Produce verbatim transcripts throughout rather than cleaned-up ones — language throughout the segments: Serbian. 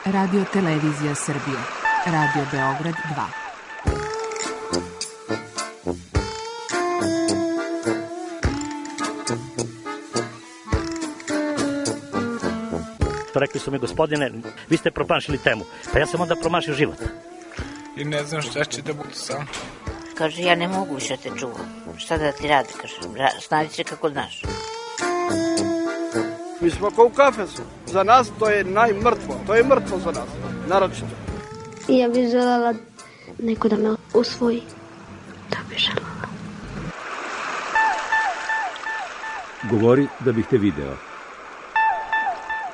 Radio Televizija Srbije. Radio Beograd dva. Rekli su mi, gospodine, vi ste promašili temu. Pa ja sam onda promašio život. I ne znam šta će da bude sam. Kaže, ja ne mogu više te čuvam. Šta da ti radi, kaže, snađi se kako znaš. Mi smo kao u kafesu. Za nas to je najmrtvo. To je mrtvo za nas, naročito. Ja bih želela neko da me usvoji. Da bih želela. Govori da bih te video.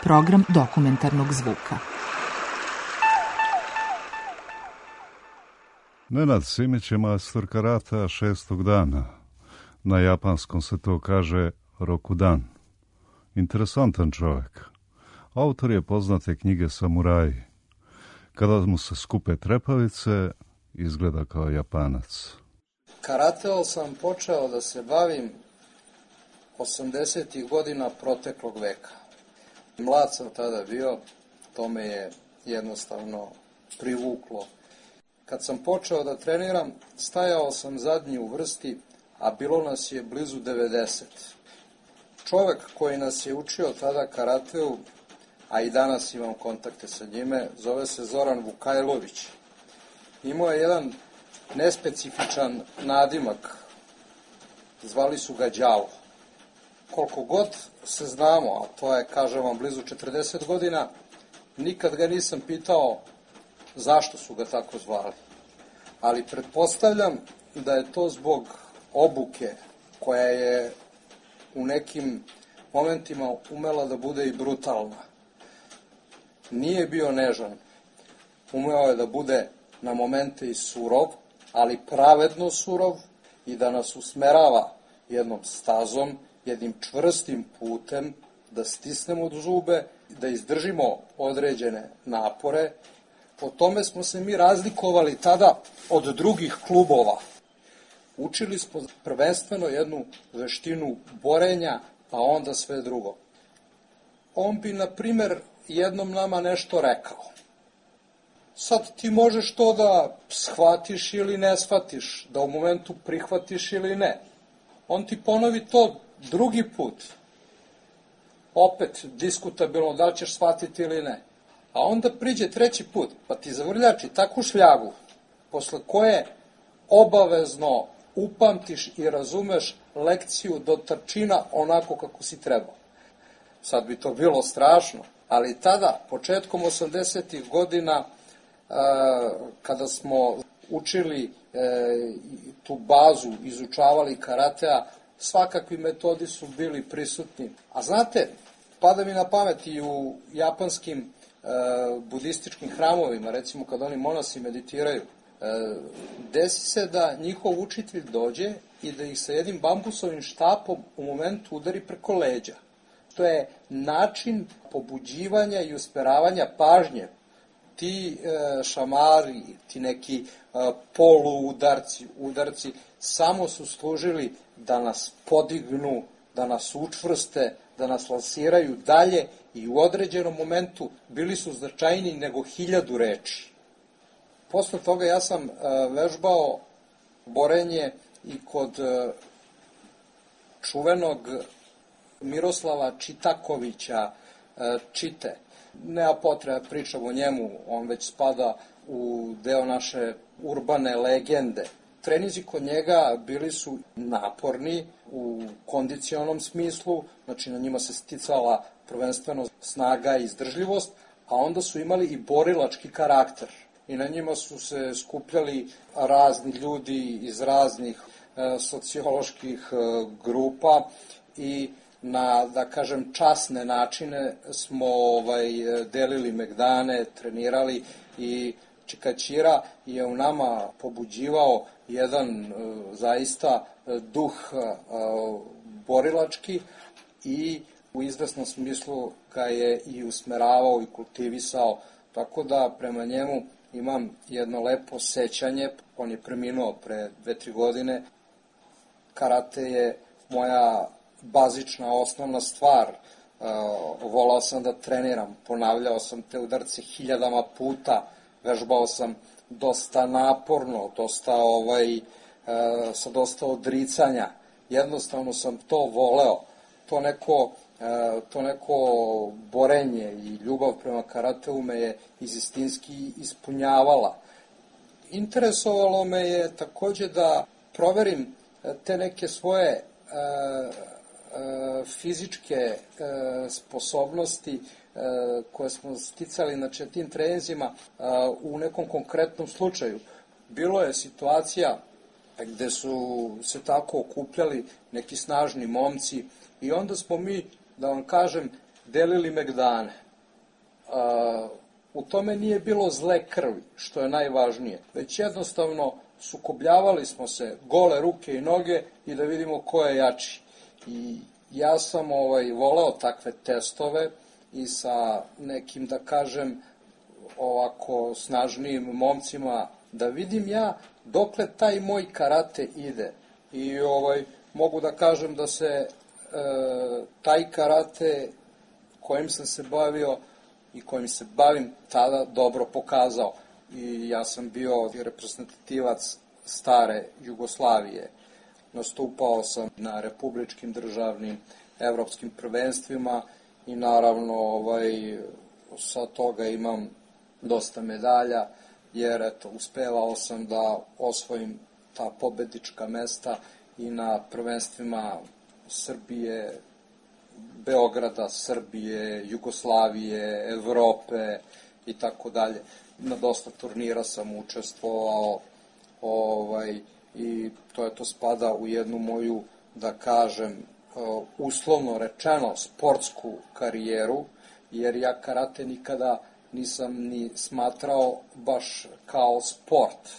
Program dokumentarnog zvuka. Nenad Simić je majstor karata šestog dana. Na japanskom se to kaže Rokudan. Interesantan čovjek. Autor je poznate knjige Samuraji. Kada mu se skupe trepavice, izgleda kao Japanac. Karateom sam počeo da se bavim osamdesetih godina proteklog veka. Mlad sam tada bio, to me je jednostavno privuklo. Kad sam počeo da treniram, stajao sam zadnji u vrsti, a bilo nas je blizu devedeset. Čovek koji nas je učio tada karateu, a i danas imam kontakte sa njime, zove se Zoran Vukajlović. Imao je jedan nespecifičan nadimak, zvali su ga Đavo. Koliko god se znamo, a to je, kažem vam, blizu četrdeset godina, nikad ga nisam pitao zašto su ga tako zvali. Ali pretpostavljam da je to zbog obuke koja je u nekim momentima umela da bude i brutalna. Nije bio nežan. Umeo je da bude na momente i surov, ali pravedno surov i da nas usmerava jednom stazom, jednim čvrstim putem, da stisnemo zube, da izdržimo određene napore. Po tome smo se mi razlikovali tada od drugih klubova. Učili smo prvenstveno jednu veštinu borenja, pa onda sve drugo. On bi, na primer, jednom nama nešto rekao. Sad ti možeš to da shvatiš ili ne shvatiš, da u momentu prihvatiš ili ne. On ti ponovi to drugi put. Opet diskutabilno da li ćeš shvatiti ili ne. A onda priđe treći put, pa ti zavrljači takvu šljagu, posle koje obavezno upamtiš i razumeš lekciju do trčina onako kako si trebao. Sad bi to bilo strašno, ali tada, početkom osamdesetih godina, kada smo učili tu bazu, izučavali karatea, svakakvi metodi su bili prisutni. A znate, pada mi na pamet i u japanskim budističkim hramovima, recimo kad oni monasi meditiraju, desi se da njihov učitelj dođe i da ih sa jednim bambusovim štapom u momentu udari preko leđa. To je način pobuđivanja i usmeravanja pažnje. Ti e, šamari, ti neki e, poluudarci, udarci, samo su služili da nas podignu, da nas učvrste, da nas lansiraju dalje i u određenom momentu bili su značajniji nego hiljadu reči. Posle toga ja sam e, vežbao borenje i kod e, čuvenog Miroslava Čitakovića e, Čite. Nema potreba pričam o njemu, on već spada u deo naše urbane legende. Trenizi kod njega bili su naporni u kondicionom smislu, znači na njima se sticala prvenstveno snaga i izdržljivost, a onda su imali i borilački karakter. I na njima su se skupljali razni ljudi iz raznih e, socioloških e, grupa i na, da kažem, časne načine smo ovaj, delili megdane, trenirali i Čikaćira je u nama pobuđivao jedan e, zaista duh e, borilački i u izvesnom smislu ga je i usmeravao i kultivisao, tako da prema njemu imam jedno lepo sećanje. On je preminuo pre dve, tri godine. Karate je moja bazična, osnovna stvar. volao sam da treniram, ponavljao sam te udarce hiljadama puta, vežbao sam dosta naporno, dosta ovaj, sa dosta odricanja. Jednostavno sam to voleo. To neko, to neko borenje i ljubav prema karateu me je istinski ispunjavala. Interesovalo me je takođe da proverim te neke svoje fizičke sposobnosti koje smo sticali na tim treninzima u nekom konkretnom slučaju. Bilo je situacija gde su se tako okupljali neki snažni momci i onda smo mi, da vam kažem, delili megdane. U tome nije bilo zle krvi, što je najvažnije, već jednostavno sukobljavali smo se gole ruke i noge i da vidimo ko je jači. I ja sam ovaj, voleo takve testove i sa nekim, da kažem, ovako snažnijim momcima, da vidim ja dokle taj moj karate ide. I ovaj, mogu da kažem da se e, taj karate kojim sam se bavio i kojim se bavim tada dobro pokazao. I ja sam bio reprezentativac stare Jugoslavije. Nastupao sam na republičkim, državnim, evropskim prvenstvima i naravno ovaj, sa toga imam dosta medalja, jer eto, uspevao sam da osvojim ta pobednička mesta i na prvenstvima Srbije, Beograda, Srbije, Jugoslavije, Evrope i tako dalje. Na dosta turnira sam učestvovao ovaj, i to je to spada u jednu moju, da kažem, uslovno rečeno, sportsku karijeru, jer ja karate nikada nisam ni smatrao baš kao sport.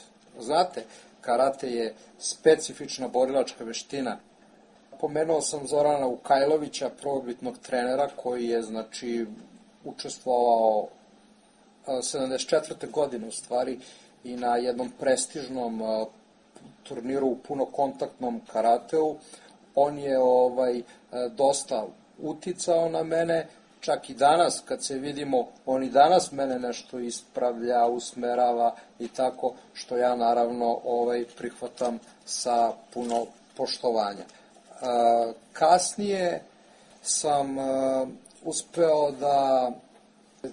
Znate, karate je specifična borilačka veština. Pomenuo sam Zorana Vukajlovića, prvobitnog trenera, koji je, znači, učestvovao sedamdeset četvrte godine u stvari i na jednom prestižnom turniru u punokontaktnom karateu. On je ovaj dosta uticao na mene, čak i danas kad se vidimo, on i danas mene nešto ispravlja, usmerava i tako, što ja naravno ovaj prihvatam sa puno poštovanja. Kasnije sam uspeo da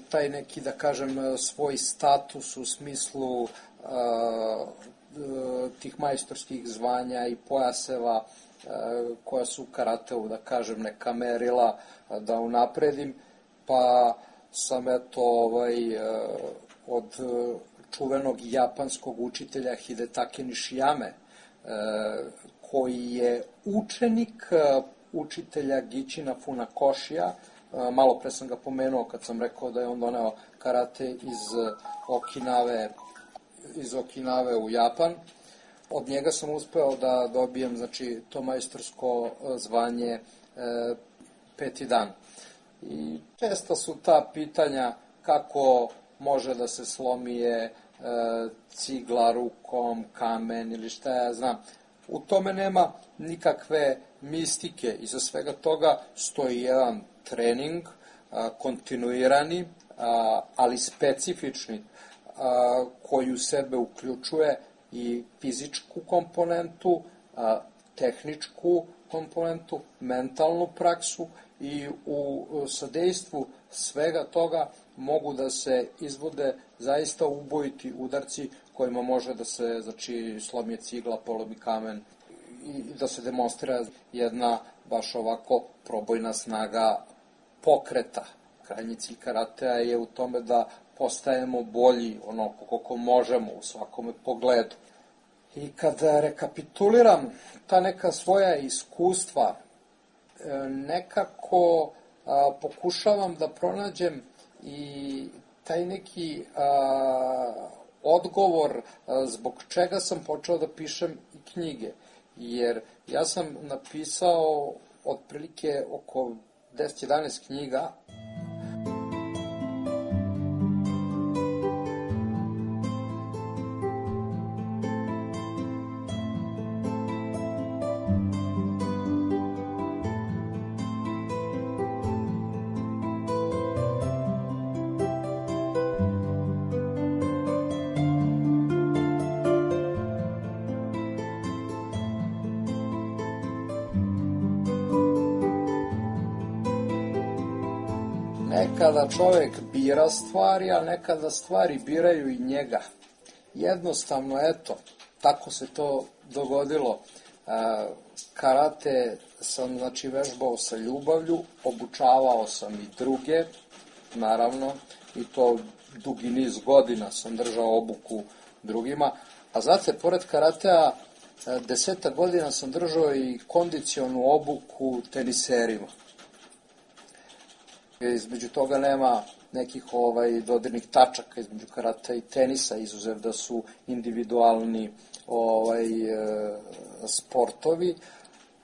taj neki, da kažem, svoj status u smislu tih majstorskih zvanja i pojaseva koja su karateu, da kažem, neka merila da unapredim, pa sam eto ovaj, od čuvenog japanskog učitelja Hidetake Nishiyame, koji je učenik učitelja Gichina Funakoshija, malo pre sam ga pomenuo kad sam rekao da je on doneo karate iz Okinave, iz Okinave u Japan. Od njega sam uspeo da dobijem, znači, to majstorsko zvanje e, peti dan. I često su ta pitanja kako može da se slomije e, cigla rukom, kamen ili šta ja znam. U tome nema nikakve mistike. Iza svega toga stoji jedan trening, a, kontinuirani, a, ali specifični, a, koji u sebe uključuje i fizičku komponentu, a, tehničku komponentu, mentalnu praksu i u sadejstvu svega toga mogu da se izvode zaista ubojiti udarci kojima može da se, znači, slomi cigla, polomi kamen i da se demonstrira jedna baš ovako probojna snaga pokreta. Krajnji cilj karatea je u tome da postajemo bolji onoliko koliko možemo u svakome pogledu. I kada rekapituliram ta neka svoja iskustva, nekako a, pokušavam da pronađem i taj neki a, odgovor a, zbog čega sam počeo da pišem i knjige. Jer ja sam napisao otprilike oko deset jedanaest knjiga. Nekada čovek bira stvari, a nekada stvari biraju i njega. Jednostavno, eto, tako se to dogodilo. Karate sam, znači, vežbao sa ljubavlju, obučavao sam i druge, naravno, i to dugi niz godina sam držao obuku drugima. A znate, pored karatea, deseta godina sam držao i kondicionu obuku teniserima. Između toga nema nekih ovaj dodirnih tačaka između karata i tenisa, izuzev da su individualni ovaj e, sportovi,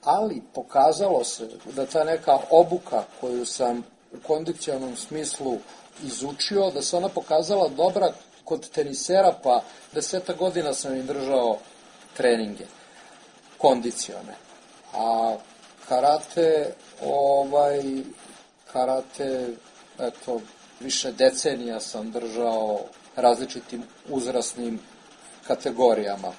ali pokazalo se da ta neka obuka koju sam u kondicionalnom smislu izučio, da se ona pokazala dobra kod tenisera, pa deseta godina sam im držao treninge kondicione. A karate, ovaj, karate, eto, više decenija sam držao različitim uzrasnim kategorijama.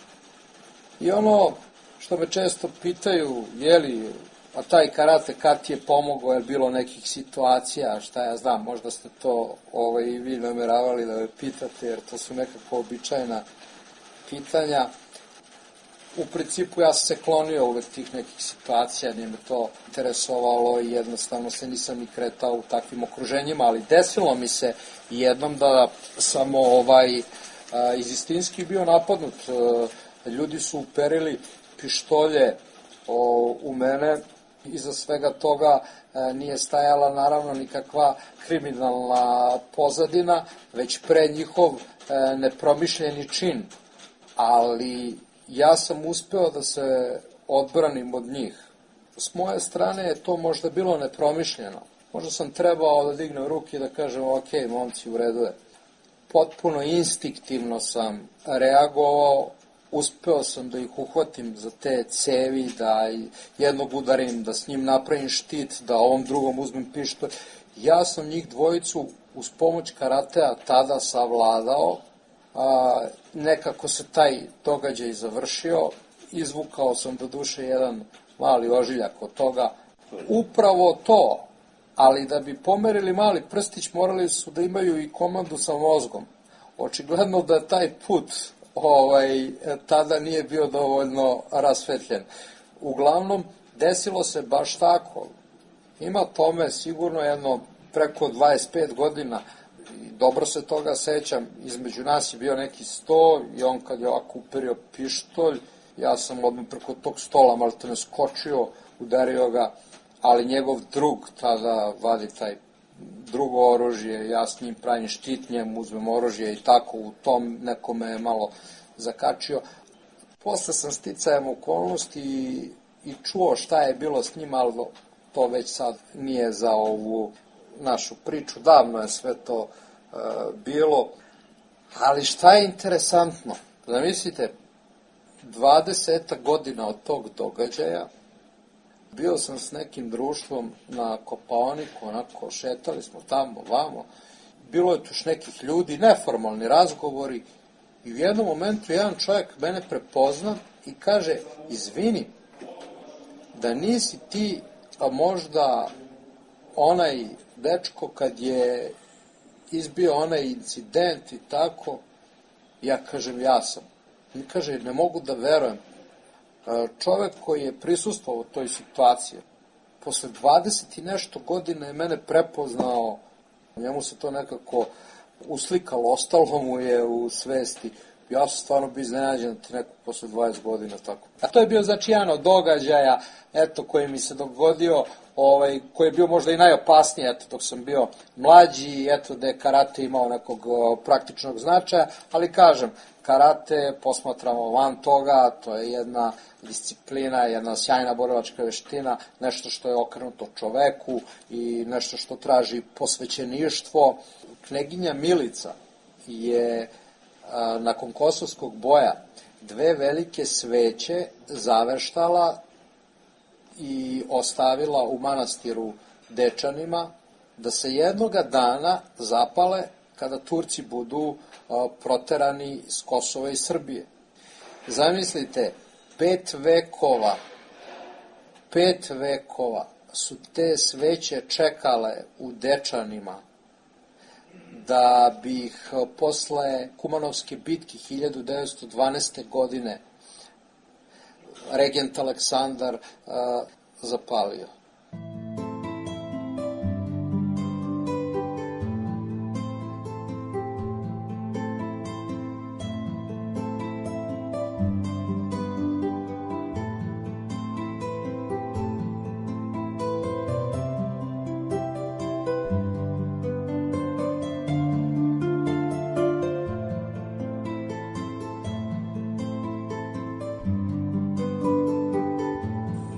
I ono što me često pitaju, je li, a taj karate kad ti je pomogao, je bilo nekih situacija, šta ja znam, možda ste to ovaj, i vi nameravali da me pitate, jer to su nekako običajna pitanja. U principu ja sam se klonio uvek tih nekih situacija, nije me to interesovalo i jednostavno se nisam ni kretao u takvim okruženjima, ali desilo mi se jednom da sam ovaj, iz istinski bio napadnut. Ljudi su uperili pištolje u mene, iza svega toga nije stajala naravno nikakva kriminalna pozadina, već pre njihov nepromišljeni čin, ali ja sam uspeo da se odbranim od njih. S moje strane je to možda bilo nepromišljeno. Možda sam trebao da dignem ruke i da kažem, ok, momci, u redu je. Potpuno instinktivno sam reagovao, uspeo sam da ih uhvatim za te cevi, da jednog udarim, da s njim napravim štit, da ovom drugom uzmem pištolj. Ja sam njih dvojicu uz pomoć karatea tada savladao. A, nekako se taj događaj završio, izvukao sam do duše jedan mali ožiljak od toga. Upravo to, ali da bi pomerili mali prstić morali su da imaju i komandu sa mozgom. Očigledno da taj put ovaj, tada nije bio dovoljno rasvetljen. Uglavnom, desilo se baš tako. Ima tome sigurno jedno preko dvadeset pet godina. Dobro se toga sećam, između nas je bio neki sto i on kad je ovako uperio pištolj, ja sam odmah preko tog stola malo te ne skočio, udario ga, ali njegov drug tada vadi taj drugo oružje, ja s njim pravim štit, njemu uzmem oružje i tako u tom nekome je malo zakačio. Posle sam sticajem okolnosti i, i čuo šta je bilo s njim, ali to već sad nije za ovu našu priču, davno je sve to e, bilo, ali šta je interesantno, zamislite, dvadeseta godina od tog događaja, bio sam s nekim društvom na Kopaoniku, onako šetali smo tamo, vamo, bilo je tu još nekih ljudi, neformalni razgovori i u jednom momentu jedan čovjek mene prepozna i kaže, izvini, da nisi ti, a možda onaj dečko kad je izbio onaj incident i tako, ja kažem ja sam. I kaže, ne mogu da verujem. Čovek koji je prisustvovao toj situaciji, posle dvadeset i nešto godina je mene prepoznao, njemu se to nekako uslikalo, ostalo mu je u svesti. Ja sam stvarno bio iznenađen da ti neko posle dvadeset godina tako. A to je bio znači jedan od događaja, eto, koji mi se dogodio, ovaj, koji je bio možda i najopasniji, eto, dok sam bio mlađi, eto, da je karate imao nekog uh, praktičnog značaja, ali kažem, karate posmatramo van toga, to je jedna disciplina, jedna sjajna borilačka veština, nešto što je okrenuto čoveku i nešto što traži posvećeništvo. Kneginja Milica je a, nakon kosovskog boja dve velike sveće zaveštala i ostavila u manastiru Dečanima da se jednoga dana zapale kada Turci budu a, proterani s Kosova i Srbije. Zamislite, pet vekova, pet vekova su te sveće čekale u Dečanima da bi ih posle Kumanovske bitke hiljadu devetsto dvanaeste. godine regent Aleksandar uh, zapalio.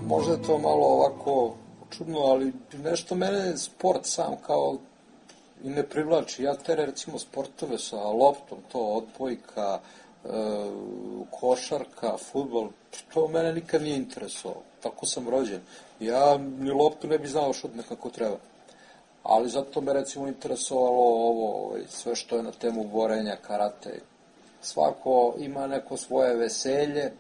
Možda je to malo ovako čudno, ali nešto mene sport sam kao i ne privlači. Ja tere recimo sportove sa loptom, to odbojka, e, košarka, fudbal, to mene nikad nije interesovalo. Tako sam rođen. Ja ni loptu ne bi znao šutne kako treba. Ali zato me recimo interesovalo ovo, sve što je na temu borenja, karate. Svako ima neko svoje veselje,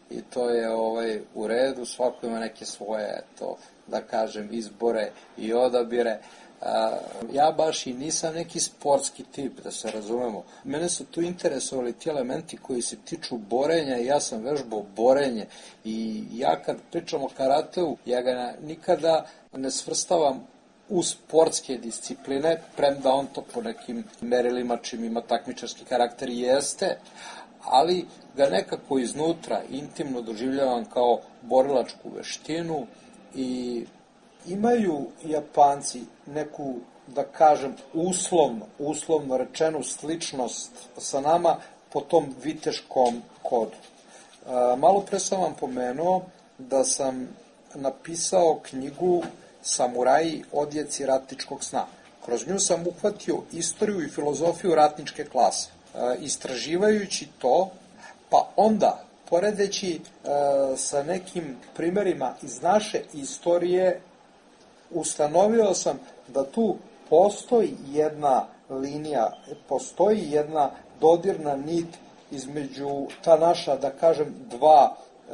i to je ovaj u redu, svako ima neke svoje, to da kažem, izbore i odabire. A, ja baš i nisam neki sportski tip, da se razumemo. Mene su tu interesovali ti elementi koji se tiču borenja i ja sam vežbao borenje. I ja kad pričam o karateu, ja ga nikada ne svrstavam u sportske discipline, premda on to po nekim merilima čim ima takmičarski karakter jeste, ali ga nekako iznutra intimno doživljavam kao borilačku veštinu i imaju Japanci neku, da kažem, uslovno, uslovno rečenu sličnost sa nama po tom viteškom kodu. E, malo pre sam vam pomenuo da sam napisao knjigu Samuraji, odjeci ratničkog sna. Kroz nju sam uhvatio istoriju i filozofiju ratničke klase. E, istraživajući to, pa onda, poredeći e, sa nekim primerima iz naše istorije, ustanovio sam da tu postoji jedna linija, postoji jedna dodirna nit između ta naša, da kažem, dva e,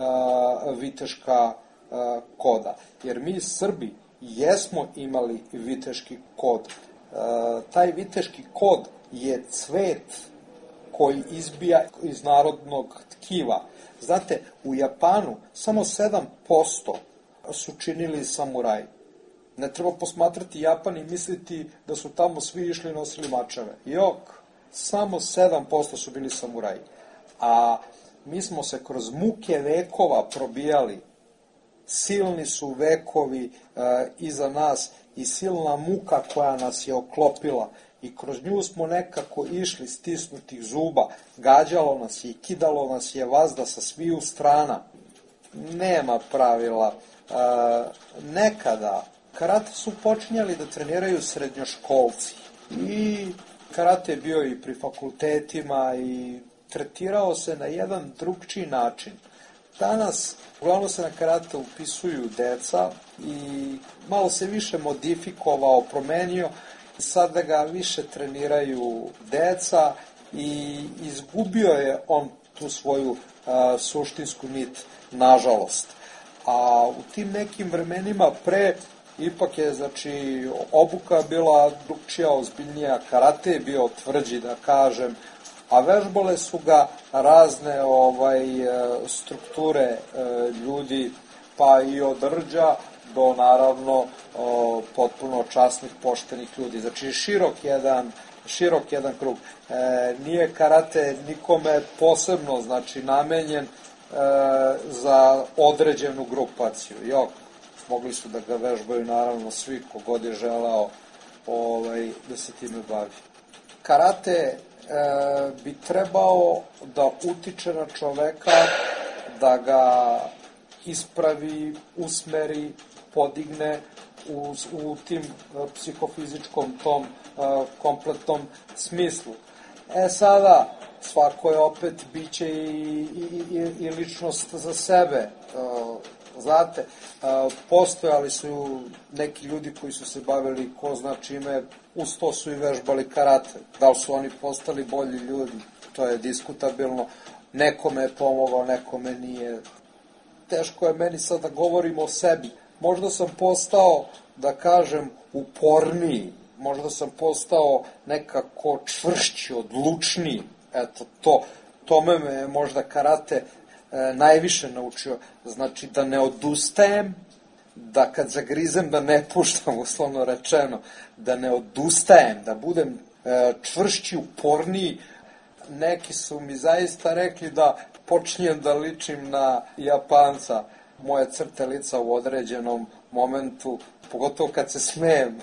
viteška e, koda. Jer mi Srbi jesmo imali viteški kod. E, taj viteški kod je cvet koji izbija iz narodnog tkiva. Znate, u Japanu samo sedam posto su činili samuraji. Ne treba posmatrati Japan i misliti da su tamo svi išli i nosili mačeve. Jok, samo sedam posto su bili samuraji. A mi smo se kroz muke vekova probijali. Silni su vekovi e, iza nas i silna muka koja nas je oklopila. I kroz nju smo nekako išli stisnutih zuba. Gađalo nas je i kidalo nas je vazda sa sviju strana. Nema pravila. E, nekada karate su počinjali da treniraju srednjoškolci. I karate je bio i pri fakultetima i tretirao se na jedan drugčiji način. Danas uglavnom se na karate upisuju deca i malo se više modifikovao, promenio. Sada ga više treniraju deca i izgubio je on tu svoju a, suštinsku nit, nažalost. A u tim nekim vremenima pre ipak je, znači, obuka bila drugčija, ozbiljnija, karate je bio tvrđi, da kažem, a vežbale su ga razne ovaj strukture ljudi, pa i od rđa do, naravno, potpuno časnih, poštenih ljudi. Znači, širok jedan, širok jedan krug. E, nije karate nikome posebno, znači, namenjen e, za određenu grupaciju. Jok, mogli su da ga vežbaju, naravno, svi kogod je želeo ovaj, da se time bavi. Karate e, bi trebao da utiče na čoveka, da ga ispravi, usmeri, podigne u, u tim psihofizičkom tom a, kompletnom smislu. E sada, svako je opet biće i, i, i, i ličnost za sebe. A, znate, a, postojali su neki ljudi koji su se bavili ko zna čime, uz to su i vežbali karate. Da li su oni postali bolji ljudi, to je diskutabilno. Nekome je pomogao, nekome nije. Teško je meni sad da govorim o sebi. možda sam postao, da kažem, uporniji, možda sam postao nekako čvršći, odlučniji, eto, to, tome me je možda karate e, najviše naučio, znači da ne odustajem, da kad zagrizem da ne puštam, uslovno rečeno, da ne odustajem, da budem e, čvršći, uporniji. Neki su mi zaista rekli da počinjem da ličim na Japanca, moje crte lica u određenom momentu, pogotovo kad se smejem,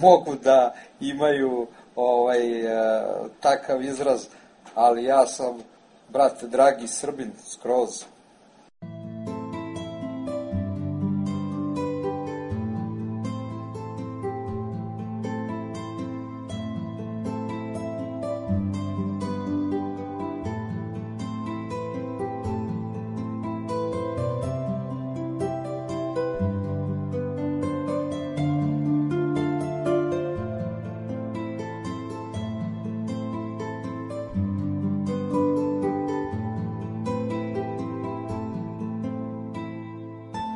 mogu da imaju ovaj, e, takav izraz, ali ja sam, brate, dragi Srbin, skroz.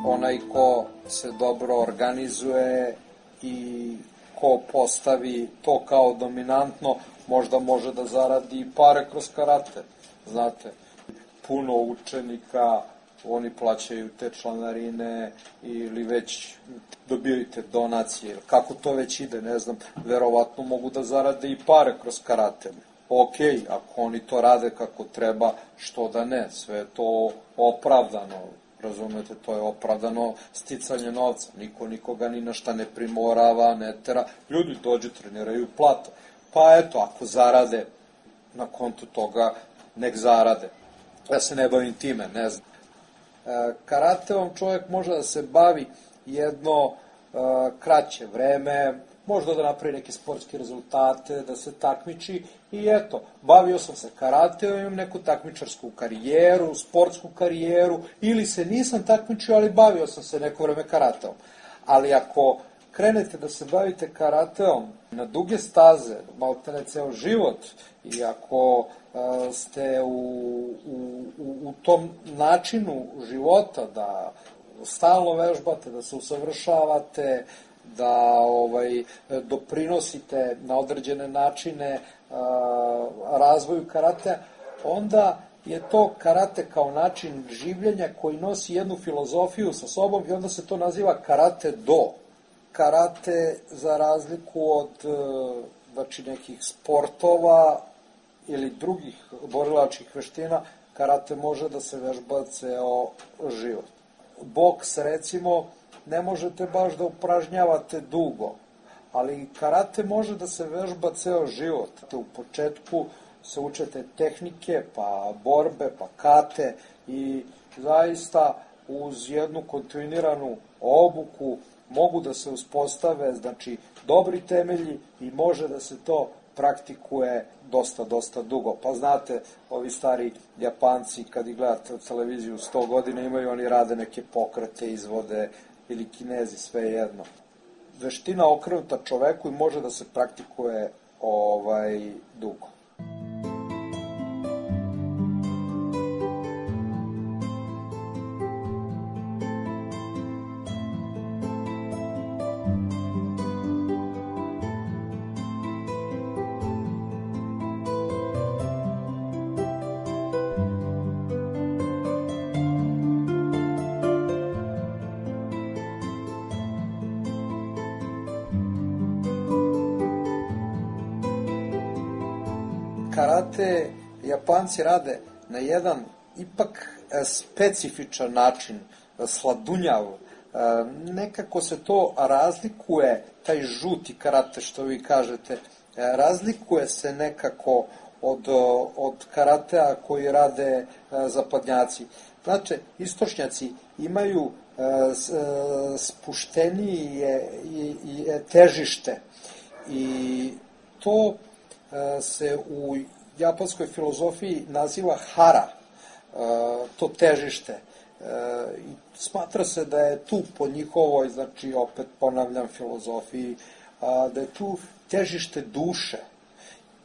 Onaj ko se dobro organizuje i ko postavi to kao dominantno, možda može da zaradi pare kroz karate. Znate, puno učenika, oni plaćaju te članarine ili već dobijaju te donacije. Kako to već ide, ne znam, verovatno mogu da zarade i pare kroz karate. Ok, ako oni to rade kako treba, što da ne, sve je to opravdano. Razumete, to je opravdano sticanje novca. Niko nikoga ni na šta ne primorava, ne tera. Ljudi dođu, treniraju, plate. Pa eto, ako zarade na kontu toga, nek zarade. Ja se ne bavim time, ne znam. E, karateom čovjek može da se bavi jedno e, kraće vreme, možda da napravi neke sportske rezultate, da se takmiči i eto, bavio sam se karateom, imam neku takmičarsku karijeru, sportsku karijeru, ili se nisam takmičio, ali bavio sam se neko vreme karateom. Ali ako krenete da se bavite karateom na duge staze, malite ne ceo život, i ako uh, ste u, u, u tom načinu života da stalno vežbate, da se usavršavate, da ovaj, doprinosite na određene načine a, razvoju karatea, onda je to karate kao način življenja koji nosi jednu filozofiju sa sobom i onda se to naziva karate do. Karate, za razliku od znači, nekih sportova ili drugih borilačkih veština, karate može da se vežba ceo život. Boks, recimo, ne možete baš da upražnjavate dugo, ali karate može da se vežba ceo život. U početku se učete tehnike, pa borbe, pa kate i zaista uz jednu kontinuiranu obuku mogu da se uspostave, znači, dobri temelji i može da se to praktikuje dosta, dosta dugo. Pa znate, ovi stari Japanci, kad ih gledate televiziju sto godina, imaju, oni rade neke pokrete, izvode, ili Kinezi, sve jedno. Veština okrenuta čoveku i može da se praktikuje ovaj dugo. Karate Japanci rade na jedan ipak specifičan način, sladunjav. Nekako se to razlikuje, taj žuti karate što vi kažete, razlikuje se nekako od, od karatea koji rade zapadnjaci. Znači, istočnjaci imaju spuštenije i težište i to se u japanskoj filozofiji naziva hara, to težište. Smatra se da je tu po njihovoj, znači opet ponavljam, filozofiji, da je tu težište duše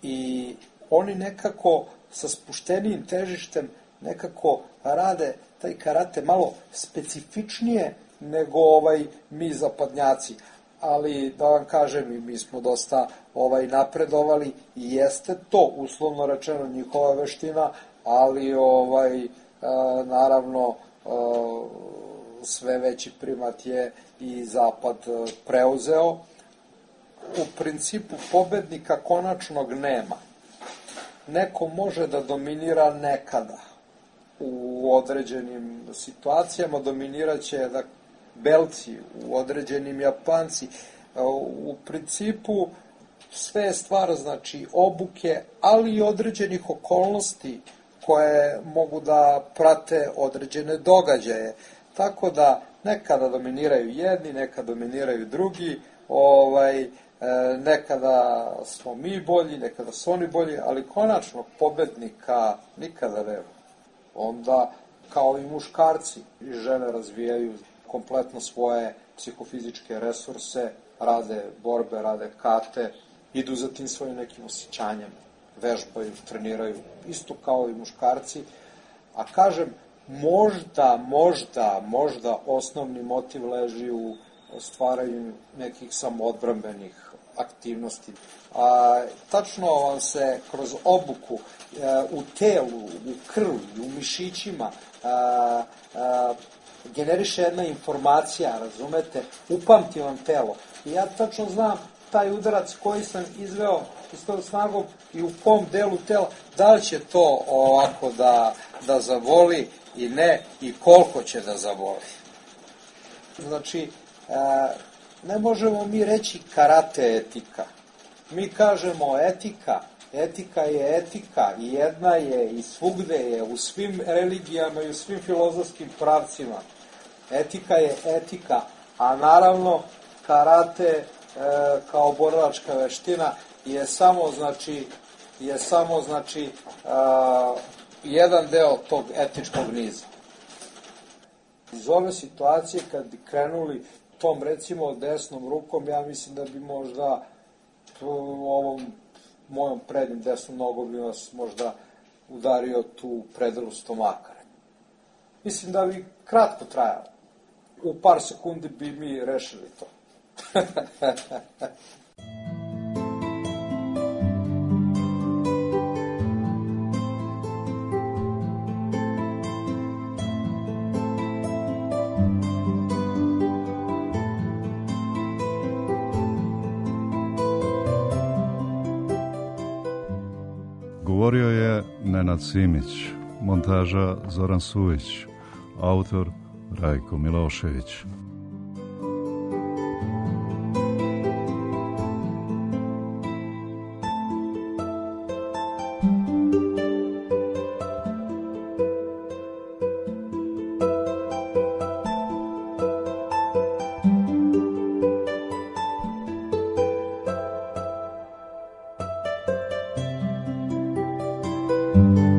i oni nekako sa spuštenijim težištem nekako rade taj karate malo specifičnije nego ovaj mi zapadnjaci. Ali da vam kažem, i mi smo dosta ovaj napredovali i jeste to uslovno rečeno njihova veština, ali ovaj a, naravno a, sve veći primat je i zapad preuzeo. U principu pobednika konačnog nema. Neko može da dominira nekada u određenim situacijama, dominiraće da Belci, u određenim Japanci. U principu sve je stvar, znači, obuke, ali i određenih okolnosti koje mogu da prate određene događaje. Tako da nekada dominiraju jedni, nekada dominiraju drugi, ovaj, nekada smo mi bolji, nekada su oni bolji, ali konačnog pobednika nikada nema. Onda, kao i muškarci i žene razvijaju kompletno svoje psihofizičke resurse, rade borbe, rade kate, idu za tim svojim nekim osjećanjem, vežbaju, treniraju, isto kao i muškarci. A kažem, možda, možda, možda osnovni motiv leži u stvaranju nekih samoodbrambenih aktivnosti. A, tačno vam se kroz obuku a, u telu, u krvi, u mišićima a, a, generiše jedna informacija, razumete, upamti vam telo. I ja tačno znam taj udarac koji sam izveo s tom snagom i u kom delu tela, da li će to ovako da, da zavoli i ne, i koliko će da zavoli. Znači, e, ne možemo mi reći karate etika. Mi kažemo etika, etika je etika i jedna je i svugde je, u svim religijama i u svim filozofskim pravcima. Etika je etika, a naravno karate e, kao borilačka veština je samo, znači, je samo, znači, a, jedan deo tog etičkog niza. Iz ove situacije, kad bi krenuli tom, recimo, desnom rukom, ja mislim da bi možda ovom mojom prednjim desnom nogom bi vas možda udario tu predelu stomaka. Mislim da bi kratko trajalo. U par sekundi bi mi rešili to. Govorio je Nenad Simić, montaža Zoran Suvić, autor Rajko Milošević. Thank you.